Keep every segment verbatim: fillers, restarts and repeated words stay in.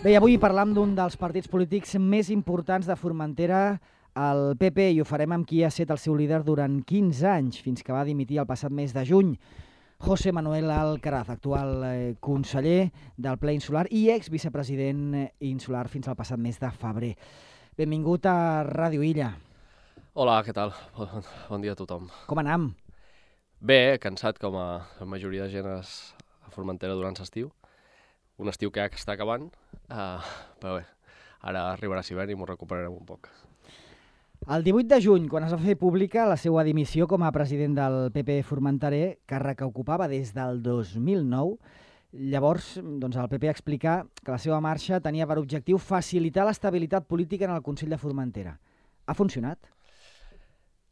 Bé, avui parlam d'un dels partits polítics més importants de Formentera, el P P, i ho farem amb qui ha estat el seu líder durant quinze anys, fins que va dimitir el passat mes de juny. José Manuel Alcaraz, actual eh, conseller del Ple Insular i ex-vicepresident insular fins al passat mes de febrer. Benvingut a Ràdio Illa. Hola, què tal? Bon, bon dia a tothom. Com anam? Bé, cansat com a la majoria de gent a Formentera durant l'estiu. Un estiu que ja està acabant, uh, però bé, ara arribarà l'hivern i m'ho recuperarem un poc. El divuit de juny, quan es va fer pública la seva dimissió com a president del P P formenterer, càrrec que ocupava des del dos mil nou, llavors doncs, el P P explica que la seva marxa tenia per objectiu facilitar l'estabilitat política en el Consell de Formentera. Ha funcionat?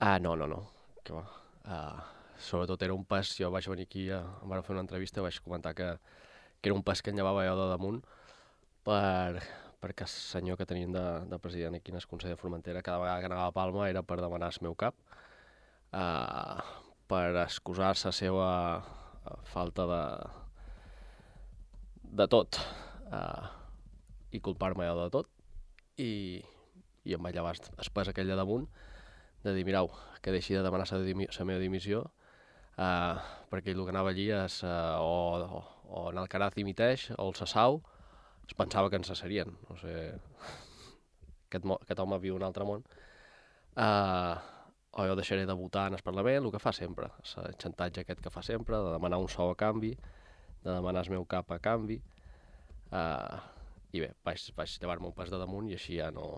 Ah, no, no, no. Que va. Uh, sobretot era un pas, jo vaig venir aquí, uh, em van fer una entrevista i vaig comentar que, que era un pas que en llevava jo de damunt per... perquè el senyor que tenien de, de president aquí en el Consell de Formentera cada vegada que anava a Palma era per demanar el meu cap, uh, per excusar-se la seva uh, falta de, de tot uh, i culpar-me jo de tot i, i em vaig llevar el pes aquell de damunt de dir, mirau, que deixi de demanar la meva dimissió uh, perquè ell el que anava allí és uh, o, o, o en Alcaraz dimiteix o el Sassau es pensava que ens cessarien. No sé, aquest, aquest home viu un altre món. Uh, o jo deixaré de votar en el Parlament, el que fa sempre. El xantatge aquest que fa sempre, de demanar un sou a canvi, de demanar el meu cap a canvi. Uh, I bé, vaig, vaig llevar-me un pas de damunt i així ja no,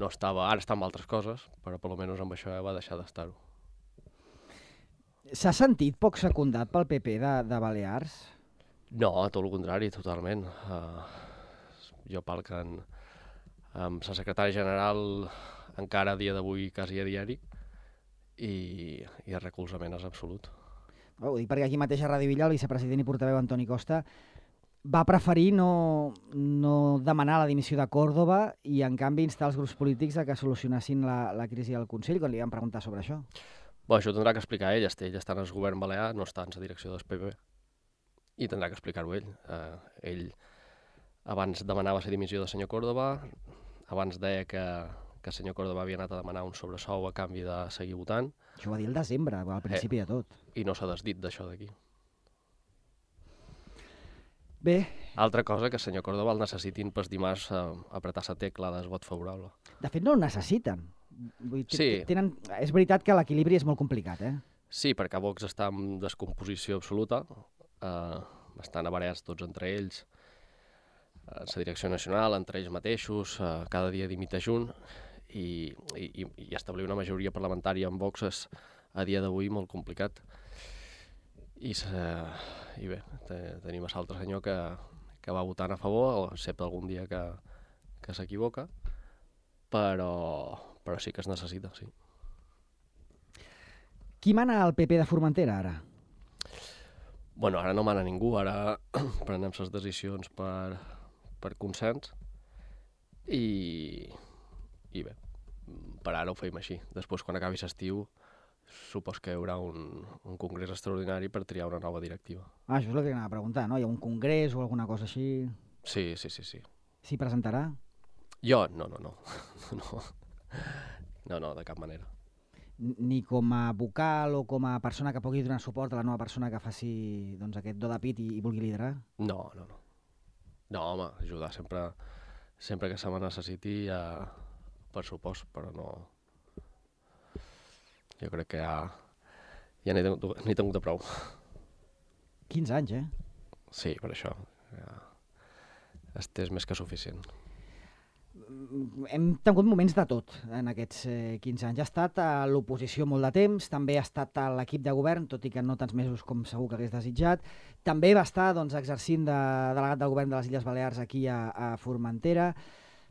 no estava... Ara està amb altres coses, però per almenys amb això ja va deixar d'estar-ho. S'ha sentit poc secundat pel P P de, de Balears? No, tot el contrari, totalment. Uh, jo palquen amb la secretària general encara a dia d'avui quasi a diari i, i el recolzament és absolut. Ho dic perquè aquí mateix a Ràdio Illa el vicepresident i portaveu Antoni Costa va preferir no, no demanar la dimissió de Córdoba i en canvi instar els grups polítics a que solucionessin la, la crisi del Consell quan li van preguntar sobre això. Bé, això ho tindrà que explicar ell. Ell està en el govern balear, no està en la direcció del P P. I tindrà que explicar-ho ell. Uh, ell abans demanava la dimissió del senyor Córdoba, abans deia que, que el senyor Córdoba havia anat a demanar un sobresou a canvi de seguir votant. Això ho va dir el desembre, al principi eh, de tot. I no s'ha desdit d'això d'aquí. Bé. Altra cosa que el senyor Córdoba el necessitin per dimarts uh, apretar la tecla del vot favorable. De fet, no el necessiten. Vull dir, sí. Tenen... És veritat que l'equilibri és molt complicat, eh? Sí, perquè Vox està en descomposició absoluta. Uh, estan avarejats tots entre ells, uh, la direcció nacional, entre ells mateixos, uh, cada dia dimita un, i, i, i establir una majoria parlamentària amb Vox és a dia d'avui molt complicat. I, uh, i bé, te, tenim l'altre senyor que, que va votant a favor, excepte algun dia que, que s'equivoca, però, però sí que es necessita, sí. Qui mana al P P de Formentera, ara? Bueno, ara no mana ningú, ara prenem les decisions per, per consens i, i bé, per ara ho feim així. Després, quan acabi l'estiu, supos que hi haurà un, un congrés extraordinari per triar una nova directiva. Ah, això és el que anava a preguntar, no? Hi ha un congrés o alguna cosa així? Sí, sí, sí, sí. S'hi presentarà? Jo? No, no, no. no. No, no, de cap manera. Ni com a vocal o com a persona que pugui donar suport a la nova persona que faci doncs, aquest do de pit i, i vulgui liderar? No, no, no. No, home, ajudar sempre, sempre que se me necessiti, ja, per supost, però no... Jo crec que ja, ja n'he tingut, n'he tingut de prou. quinze anys, eh? Sí, per això. Ja, este és més que suficient. Hem tingut moments de tot en aquests eh, quinze anys. Ha estat a l'oposició molt de temps, també ha estat a l'equip de govern, tot i que no tants mesos com segur que hagués desitjat. També va estar doncs, exercint de delegat del govern de les Illes Balears aquí a, a Formentera.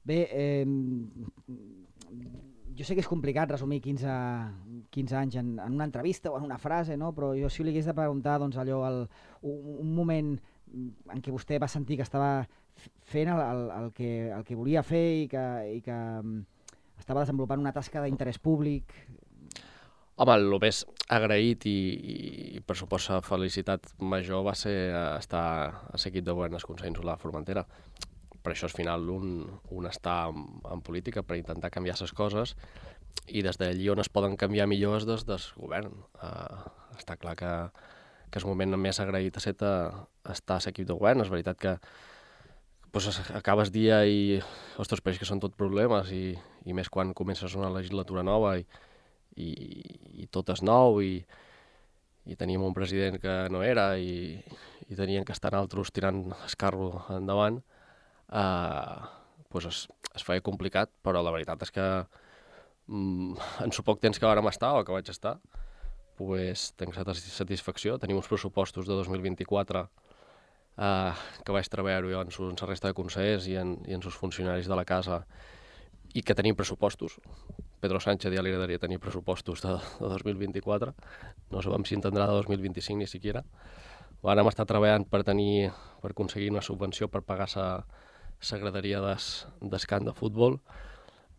Bé, eh, jo sé que és complicat resumir quinze, quinze anys en, en una entrevista o en una frase, no? Però jo si li hagués de preguntar doncs, allò, el, un, un moment en què vostè va sentir que estava fent el, el, el, que, el que volia fer i que, i que um, estava desenvolupant una tasca d'interès públic. Home, el més agraït i, i per supost felicitat major va ser estar a l'equip de govern del Consell Insular de Formentera. per això al final un, un està en, en política per intentar canviar les coses, i des d'allí on es poden canviar millor és des del govern. Uh, està clar que, que és el moment més agraït a ser estar a l'equip de govern. És veritat que pues, acabes dia i, ostres, pareix que són tot problemes, i, i més quan comences una legislatura nova i, i, i tot és nou, i, i teníem un president que no era, i, i tenien que estar altres tirant el carro endavant, uh, pues es, es feia complicat, però la veritat és que mm, en so poc temps que vàrem estar, o que vaig estar, pues, tenc satisfacció. Tenim uns pressupostos de dos mil vint-i-quatre uh, que vaig treballar-ho jo en, su, en la resta de consellers i en, i en els funcionaris de la casa, i que tenim pressupostos. Pedro Sánchez ja li agradaria tenir pressupostos de, de dos mil vint-i-quatre, no sabem si entendrà de dos mil vint-i-cinc ni siquiera. Vàrem estar treballant per tenir, per aconseguir una subvenció per pagar la graderia del camp de futbol.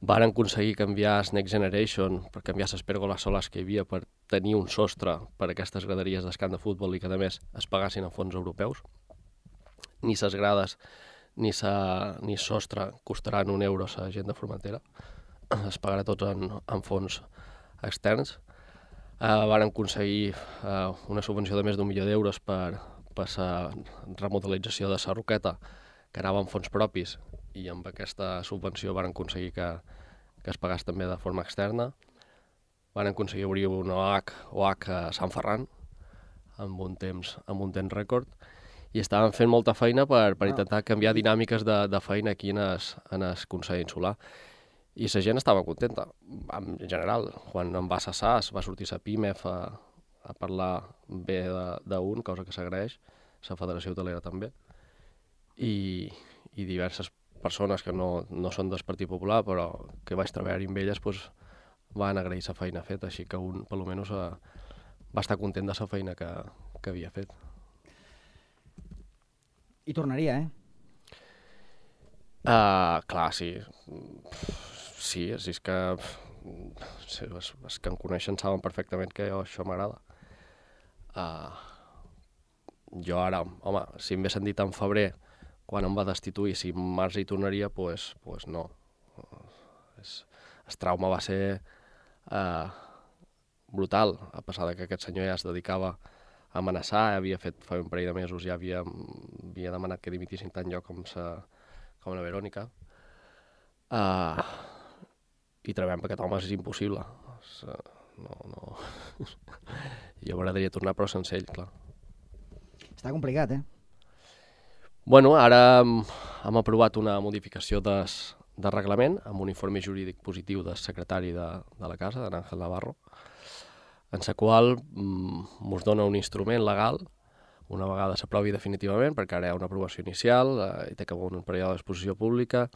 Varen aconseguir canviar el Next Generation, per canviar les pèrgoles solars que hi havia, per tenir un sostre per a aquestes graderies del camp de futbol, i que a més es pagassin a fons europeus. Ni les grades ni sa, ni sostre costaran un euro a la gent de Formentera. Es pagarà tots en, en fons externs. Uh, varen aconseguir uh, una subvenció de més d'un milió d'euros per, per la remodelització de la Roqueta, que anava en fons propis, i amb aquesta subvenció van aconseguir que, que es pagés també de forma externa. Van aconseguir obrir una O H, O H a Sant Ferran, amb un temps, amb un temps rècord, i estaven fent molta feina per, per intentar canviar dinàmiques de, de feina aquí en el, en el Consell Insular. I la gent estava contenta, en general. Quan em va cessar, es va sortir la PIMEF a, a parlar bé d'un, cosa que s'agraeix, la Federació Hotelera també, i, i diverses persones que no, no són del Partit Popular, però que vaig treballar amb elles, pues, van agrair la feina feta, així que un, per almenys, va estar content de la feina que, que havia fet. I tornaria, eh? Uh, clar, sí. Sí, és que sí, els, els que em coneixen saben perfectament que jo, això m'agrada. Uh, jo ara, home, si em haguessin dit en febrer, quan em va destituir, si en març hi tornaria, doncs pues, pues no. Es, el trauma va ser uh, brutal, a pesar de que aquest senyor ja es dedicava a amenaçar, havia fet fa un parell de mesos, ja havia, havia demanat que dimitissin tant jo com, sa, com la Verònica. Uh, I treballem perquè aquest home és impossible. És, uh, no, no. Jo m'agradaria tornar, però sense ell, clar. Està complicat, eh? Bueno, ara hem aprovat una modificació des, de reglament amb un informe jurídic positiu del secretari de, de la casa, d'en Ángel Navarro, en la qual ens mm, dona un instrument legal, una vegada s'aprovi definitivament, perquè ara hi ha una aprovació inicial, eh, i té que haver un període d'exposició pública,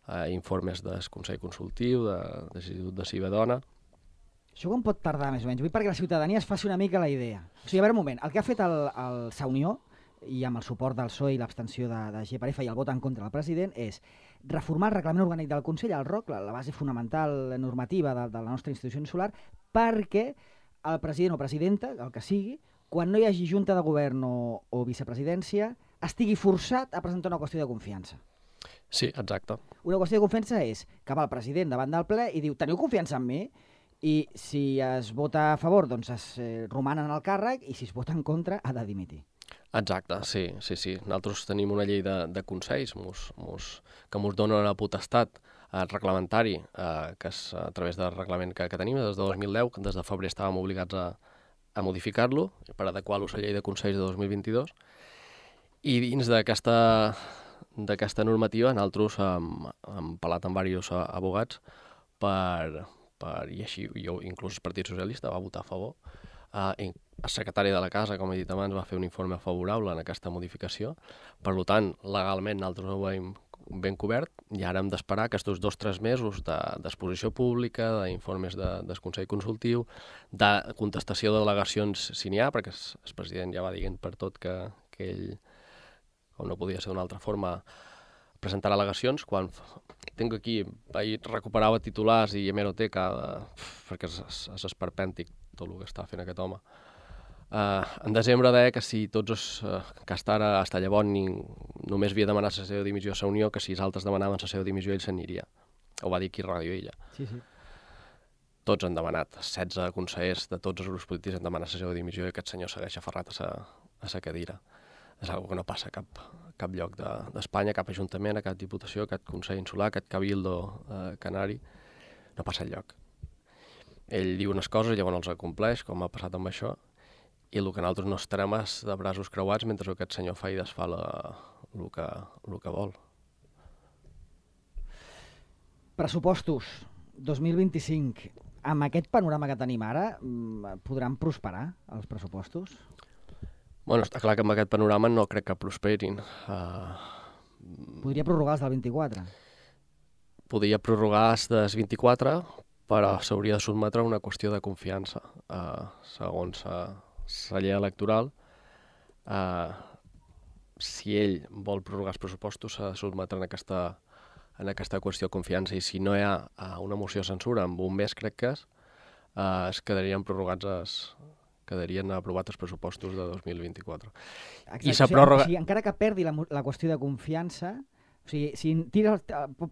eh, informes del Consell Consultiu, de, de l'Institut de Cibedona. Això com pot tardar, més o menys? Vull perquè la ciutadania es faci una mica la idea. O sigui, a veure un moment, el que ha fet el, el Sa Unió, i amb el suport del P S O E i l'abstenció de, de G per F i el vot en contra del president, és reformar el reglament orgànic del Consell, el R O C, la, la base fonamental normativa de, de la nostra institució insular, perquè el president o presidenta, el que sigui, quan no hi hagi junta de govern o, o vicepresidència, estigui forçat a presentar una qüestió de confiança. Sí, exacte. Una qüestió de confiança és que va el president davant del ple i diu, teniu confiança en mi? I si es vota a favor, doncs es eh, romanen al càrrec, i si es vota en contra, ha de dimitir. Exacte, sí, sí, sí. Nosaltres tenim una llei de, de consells mos, mos, que ens dona la potestat eh, reglamentari, eh, que és a través del reglament que, que tenim des de dos mil deu, que des de febrer estàvem obligats a, a modificar-lo per adequar-lo a la llei de consells de dos mil vint-i-dos, i dins d'aquesta d'aquesta normativa nosaltres hem, hem parlat amb diversos abogats per, per, i així jo, inclús el Partit Socialista va votar a favor. Uh, el secretari de la casa, com he dit abans, va fer un informe favorable en aquesta modificació. Per tant, legalment nosaltres ho veiem ben cobert, i ara hem d'esperar aquests dos o tres mesos d'exposició de, pública, d'informes de, del Consell Consultiu, de contestació de delegacions si n'hi ha, perquè el, el president ja va dient per tot que, que ell, com no podia ser d'una altra forma, presentar al·legacions. Quan tinc aquí, ahir recuperava titulars i hemeroteca, de, perquè és, és esperpèntic tot el que està fent aquest home. Uh, en desembre deia que si tots els, uh, que hasta ara, hasta llavors, ni, només havia demanat la seva dimissió a la Unió, que si els altres demanaven la seva dimissió, ell s'aniria. Ho va dir aquí a Ràdio Illa. Sí, sí. Tots han demanat, setze consellers de tots els grups polítics han demanat la seva dimissió i aquest senyor segueix aferrat a sa, a sa cadira. És una cosa que no passa a cap, cap lloc d'Espanya, de, cap ajuntament, a cap diputació, a cap consell insular, a cap cabildo eh, canari. No passa enlloc. Ell diu unes coses i llavors els acompleix, com ha passat amb això, i el que nosaltres no estarem és de braços creuats mentre aquest senyor fa i desfà la, el, que, el que vol. Pressupostos dos mil vint-i-cinc. Amb aquest panorama que tenim ara, podran prosperar els pressupostos? Bueno, està clar que amb aquest panorama no crec que prosperin. Uh... Podria prorrogar els del vint-i-quatre? Podria prorrogar els del vint-i-quatre, però s'hauria de sotmetre a una qüestió de confiança. Uh, segons uh, la llei electoral, uh, si ell vol prorrogar els pressupostos, s'ha de sotmetre en aquesta, en aquesta qüestió de confiança. I si no hi ha uh, una moció de censura, amb un mes crec que és, uh, es quedarien prorrogats els... quedarien aprovats els pressupostos de dos mil vint-i-quatre. Exacte. I o sigui, pròrroga... o sigui, encara que perdi la, la qüestió de confiança, o sigui, si tira,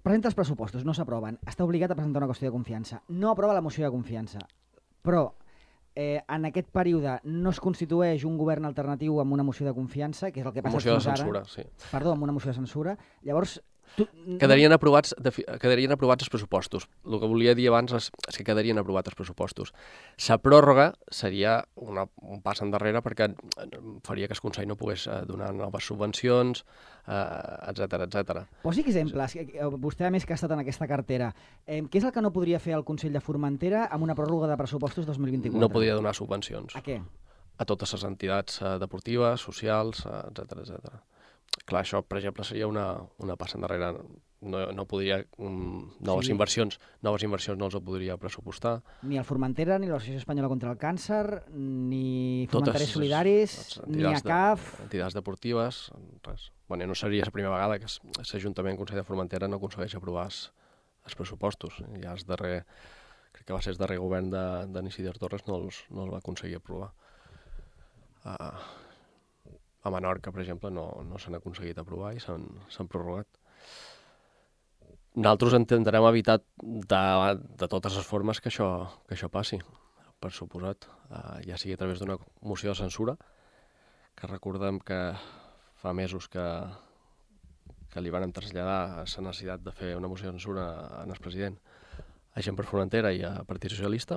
presenta els pressupostos, no s'aproven, està obligat a presentar una qüestió de confiança. No aprova la moció de confiança, però eh, en aquest període no es constitueix un govern alternatiu amb una moció de confiança, que és el que passa fins ara. Moció de censura, sí. Perdó, amb una moció de censura. Llavors, tu... Quedarien aprovats, quedarien aprovats els pressupostos. El que volia dir abans és, és que quedarien aprovats els pressupostos. La pròrroga seria una, un pas endarrere perquè faria que el Consell no pogués donar noves subvencions, etcètera, etcètera. Posi exemples. Vostè, a més, que ha estat en aquesta cartera. Eh, què és el que no podria fer el Consell de Formentera amb una pròrroga de pressupostos dos mil vint-i-quatre? No podria donar subvencions. A què? A totes les entitats deportives, socials, etcètera, etcètera. Clar, això, per exemple, seria una, una passa endarrere. No, no podria... Um, noves, sí. inversions, noves inversions no els podria pressupostar. Ni el Formentera, ni l'Associació Espanyola contra el Càncer, ni Formenters Solidaris, ni a C A F... De, entitats deportives, res. Bueno, no seria la primera vegada que l'Ajuntament Consell de Formentera no aconsegueix aprovar els pressupostos. Ja el darrer... Crec que va ser el darrer govern d'en Isidre Torres no els, no els va aconseguir aprovar. Uh, A Menorca, per exemple, no, no s'han aconseguit aprovar i s'han prorrogat. Nosaltres intentarem evitar de, de totes les formes que això, que això passi, per suposat. Uh, ja sigui a través d'una moció de censura, que recordem que fa mesos que, que li van traslladar la necessitat de fer una moció de censura en el president a Gent per Formentera i a Partit Socialista,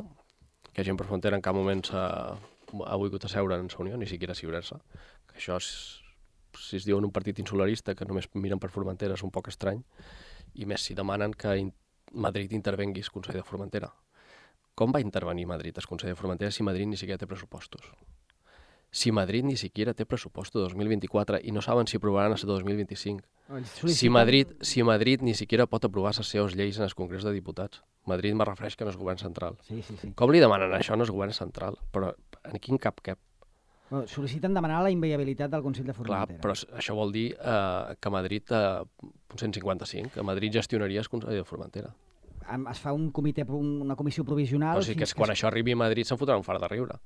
que Gent per Formentera en cap moment s'ha ha volgut asseure en la Unió, ni siquiera asseure-se. Això, és, si es diuen un partit insularista que només miren per Formentera, és un poc estrany, i més si demanen que in Madrid intervengui el Consell de Formentera. Com va intervenir Madrid el Consell de Formentera si Madrid ni siquiera té pressupostos? Si Madrid ni siquiera té pressupostos dos mil vint-i-quatre i no saben si aprovaran el dos mil vint-i-cinc. Si Madrid, si Madrid ni siquiera pot aprovar les seves lleis en el Congrés de Diputats. Madrid me refereix que no és govern central. Sí, sí, sí. Com li demanen això no és govern central? Però en quin cap cap? Bueno, sol·liciten demanar la inviabilitat del Consell de Formentera. Clar, però això vol dir eh, que Madrid, eh, cent cinquanta-cinc, que Madrid gestionaria el Consell de Formentera. Es fa un comitè, una comissió provisional... Però sí que, és, que quan es... això arribi a Madrid se'n fotrà un far de riure.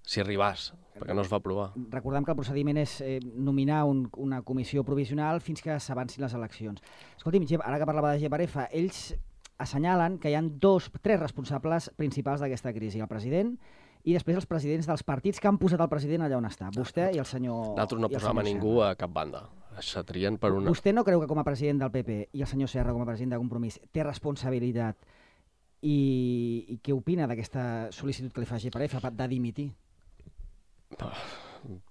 Si arribàs, perquè no es va aprovar. Recordem que el procediment és eh, nominar un, una comissió provisional fins que s'avancin les eleccions. Escolti'm, ara que parlava de G per F, ells assenyalen que hi ha dos, tres responsables principals d'aquesta crisi. El president i després els presidents dels partits que han posat el president allà on està. Vostè i el senyor... Nosaltres no posàvem a ningú a cap banda. S'atrien per una... Vostè no creu que com a president del P P i el senyor Serra com a president de Compromís té responsabilitat i, i què opina d'aquesta sol·licitud que li fa G per F de dimitir?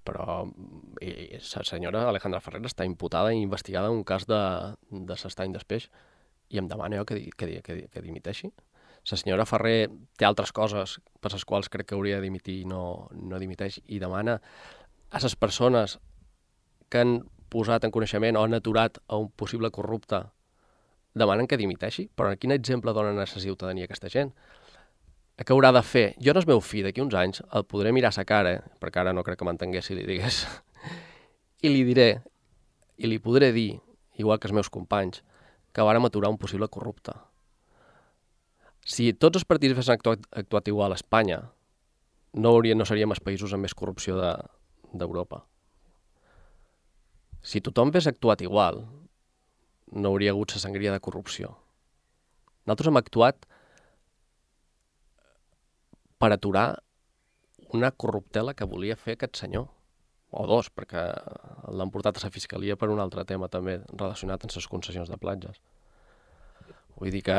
Però la senyora Alejandra Ferrer està imputada i investigada en un cas de, de s'estany d'espeix i em demana jo que, que, que, que dimiteixi. La senyora Ferrer té altres coses per les quals crec que hauria de dimitir i no, no dimiteix i demana a les persones que han posat en coneixement o han aturat a un possible corrupte demanen que dimiteixi, però quin exemple donen a la ciutadania aquesta gent? Què haurà de fer? Jo no és meu fill, d'aquí uns anys el podré mirar a sa cara, perquè ara no crec que m'entengués si li digués, i li diré, i li podré dir, igual que els meus companys, que vàrem aturar un possible corrupte. Si tots els partits haguessin actuat, actuat igual a Espanya, no, hauria, no seríem els països amb més corrupció d'Europa. Si tothom hagués actuat igual, no hauria hagut la sangria de corrupció. Nosaltres hem actuat per aturar una corruptela que volia fer aquest senyor, o dos, perquè l'han portat a la fiscalia per un altre tema també relacionat amb les concessions de platges. Vull dir que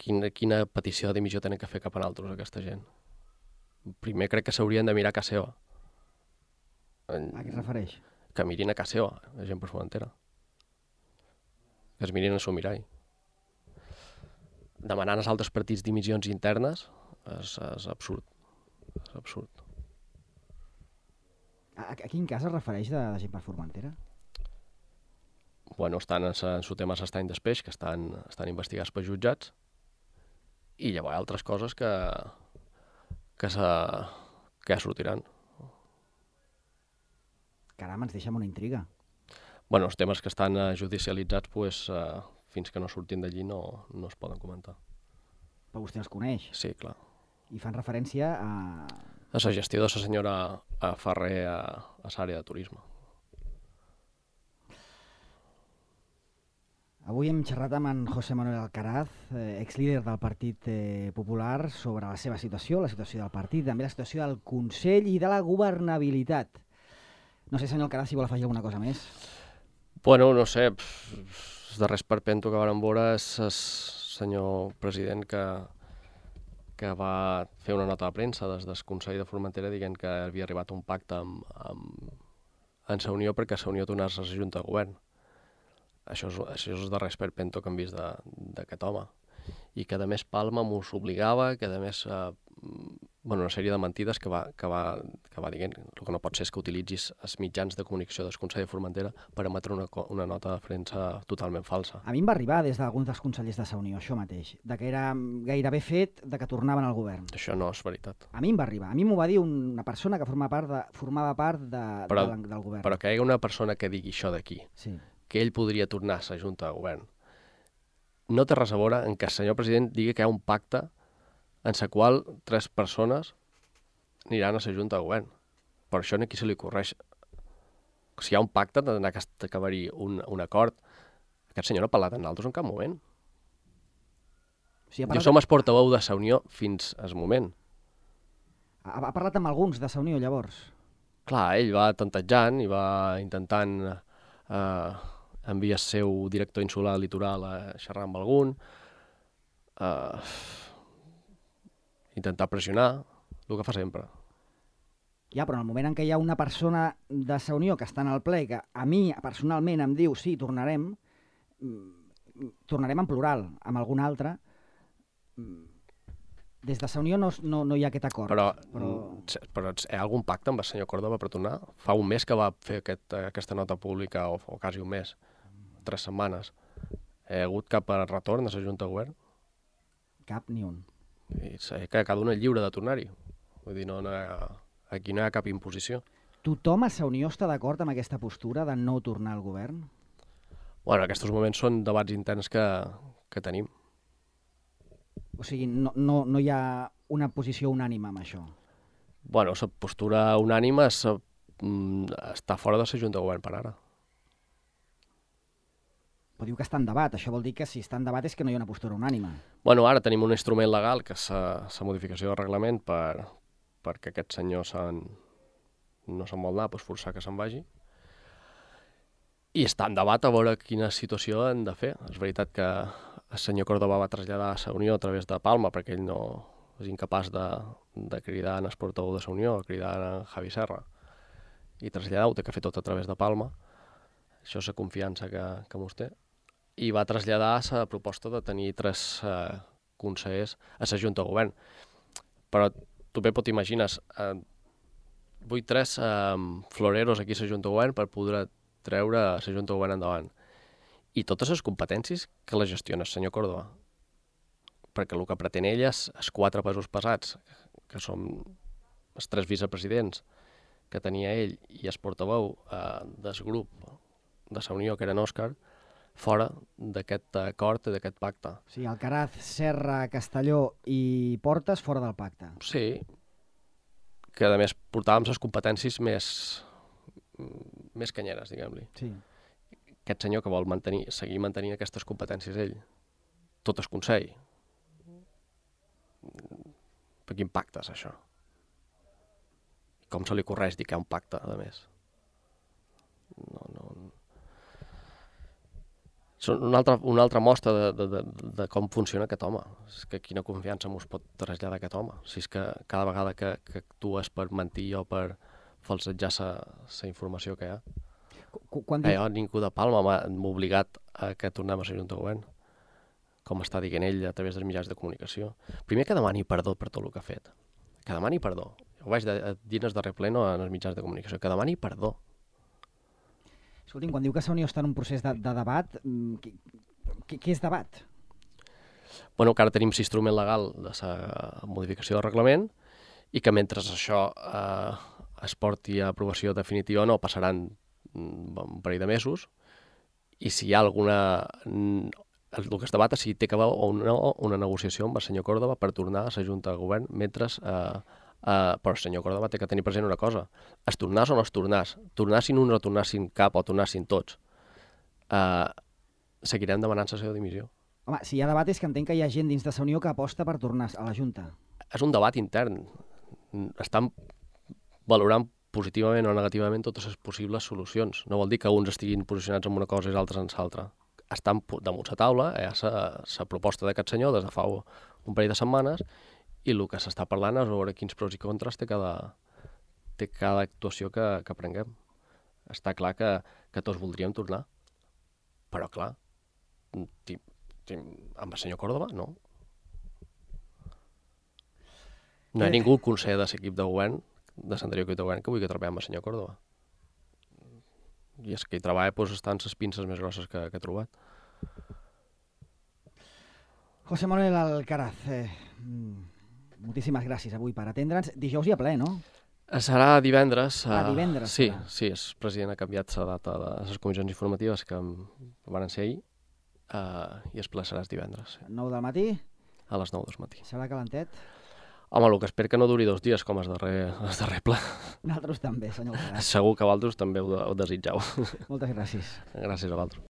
quina, quina petició de dimissió tenen que fer cap a nosaltres aquesta gent? Primer crec que s'haurien de mirar a casa seva. A què es refereix? Que mirin a casa seva, la gent per Formentera. Que es mirin a seu mirall. Demanant als altres partits dimissions internes és, és absurd. És absurd. A, a quin cas es refereix de, de gent per Formentera? Bueno, estan en el tema s'estany d'espeix, que estan, estan investigats per jutjats, i llavors hi ha altres coses que, que, se, que sortiran. Caram, ens deixa amb una intriga. Bueno, els temes que estan uh, judicialitzats, pues, uh, fins que no surtin d'allí no, no es poden comentar. Però vostè els coneix? Sí, clar. I fan referència a... A la gestió de la senyora Ferrer a, a l'àrea de turisme. Avui hem xerrat amb en José Manuel Alcaraz, eh, exlíder del Partit eh, Popular, sobre la seva situació, la situació del partit, també la situació del Consell i de la governabilitat. No sé, senyor Alcaraz, si vol afegir alguna cosa més. Bueno, no sé, els darrers perpento que varen veure és el senyor president que, que va fer una nota de premsa des del Consell de Formentera dient que havia arribat a un pacte amb, amb, amb la Unió perquè la Unió tornés a la Junta de Govern. Això és, això és el darrer esperpento que hem vist d'aquest home. I que a més Palma mos obligava, que a més eh, bueno, una sèrie de mentides que va, que va, que va dient. El que no pot ser és que utilitzis els mitjans de comunicació del Consell de Formentera per emetre una, una nota de premsa totalment falsa. A mi em va arribar des d'alguns dels consellers de la Unió, això mateix, de que era gairebé fet de que tornaven al govern. Això no és veritat. A mi em va arribar. A mi m'ho va dir una persona que formava part, de, formava part de, però, de, del govern. Però que hi hagi una persona que digui això d'aquí, sí. que ell podria tornar a la Junta de Govern, no té res a veure en que el senyor president digui que hi ha un pacte en la qual tres persones aniran a la Junta de Govern. Per això aquí se li correix. Si hi ha un pacte, ha d'anar a acabar-hi un, un acord. Aquest senyor no ha parlat amb nosaltres en cap moment. Sí, jo som el portaveu de la Unió fins al moment. Ha, ha parlat amb alguns de la Unió, llavors? Clar, ell va tantejant i va intentant eh, enviar el seu director insular litoral a xerrar amb algun, eh, intentar pressionar, el que fa sempre. Ja, però en el moment en què hi ha una persona de la Unió que està en el ple, que a mi personalment em diu sí, tornarem, tornarem en plural, amb algun altre, des de la Unió no, no, no hi ha aquest acord. Però, però... però hi ha algun pacte amb el senyor Córdoba per tornar? Fa un mes que va fer aquest, aquesta nota pública, o, o quasi un mes, tres setmanes. Hi ha hagut cap retorn a la Junta de Govern? Cap ni un. I que cada un és lliure de tornar-hi. Vull dir, no, no ha, aquí no hi ha cap imposició. Tothom a la Unió està d'acord amb aquesta postura de no tornar al govern? Bueno, aquests moments són debats interns que, que tenim. O sigui, no, no, no hi ha una posició unànime amb això? Bueno, la postura unànime és, està fora de la Junta de Govern per ara. Però diu que està en debat. Això vol dir que si està en debat és que no hi ha una postura unànime. Bueno, ara tenim un instrument legal, que és la modificació del reglament, per, perquè aquest senyor no se'n vol anar, doncs forçar que se'n vagi. I està en debat a veure quina situació han de fer. És veritat que el senyor Córdoba va traslladar a la Unió a través de Palma, perquè ell no és incapaç de, de cridar en el portaveu de la Unió, cridar en Javi Serra, i traslladar-ho, té que fer tot a través de Palma. Això és la confiança que, que mos té. I va traslladar la proposta de tenir tres eh, consellers a la Junta de Govern. Però tu bé pot imagines, eh, vull tres eh, floreros aquí a la Junta de Govern per poder treure la Junta de Govern endavant. I totes les competències que la gestiona el senyor Córdoba. Perquè el que pretén ell és els quatre pesos pesats, que són els tres vicepresidents que tenia ell i el portaveu eh, del grup de la Unió, que era en Òscar, fora d'aquest acord i d'aquest pacte. Sí, Alcaraz, Serra, Castelló i Portes fora del pacte. Sí, que a més portàvem les competències més, més canyeres, diguem-li. Sí. Aquest senyor que vol mantenir, seguir mantenint aquestes competències ell, tot el Consell. Per quin pacte és això? Com se li correix dir que hi ha un pacte, a més? No, no... Són una altra, una altra mostra de, de, de, de com funciona aquest home. És que quina confiança mos pot traslladar aquest home. Si és que cada vegada que, que actues per mentir o per falsejar la informació que hi ha. Quan Eh, jo, ningú de Palma m'ha obligat a que tornem a la Junta de Govern, com està dient ell a través dels mitjans de comunicació. Primer que demani perdó per tot el que ha fet. Que demani perdó. Ho vaig dir en el darrer pleno en els mitjans de comunicació. Que demani perdó. Escolti'm, quan diu que la Unió està en un procés de, de debat, què, què, què és debat? Bueno, que ara tenim l'instrument legal de la modificació del reglament i que mentre això eh, es porti a aprovació definitiva o no, passaran un parell de mesos i si hi ha alguna... El que es debata si té que haver o no una negociació amb el senyor Córdoba per tornar a la Junta de Govern mentre... Eh, Uh, però el senyor Córdoba té que tenir present una cosa. Es tornàs o no es tornàs? Tornassin uns o tornassin cap o tornassin tots. Uh, seguirem demanant la seva dimissió. Home, si hi ha debat és que entenc que hi ha gent dins de la Unió que aposta per tornar a la Junta. És un debat intern. Estan valorant positivament o negativament totes les possibles solucions. No vol dir que uns estiguin posicionats en una cosa i els altres en l'altra. Estan damunt la taula, hi ha la proposta d'aquest senyor des de fa un parell de setmanes i el que s'està parlant és veure quins pros i contres té cada, té cada actuació que, que prenguem. Està clar que, que tots voldríem tornar, però clar, ti, ti, amb el senyor Córdoba, no. No hi ha ningú al Consell de l'equip de govern, de l'anterior equip de govern, que vulgui treballar amb el senyor Córdoba. I és que hi treballa doncs, estan les pinces més grosses que, que he trobat. José Manuel Alcaraz, eh, moltíssimes gràcies avui per atendre'ns. Dijous hi ha ple, no? Serà divendres. Ah, divendres. Sí, serà. sí, el president ha canviat la data de les comissions informatives que van ser ahir uh, i el ple serà divendres. Sí. nou del matí? A les nou del matí. Serà calentet? Home, el que espero que no duri dos dies com el darrer, el darrer ple. Nosaltres també, senyor Alcaraz. Segur que vosaltres també ho, ho desitgeu. Moltes gràcies. Gràcies a vosaltres.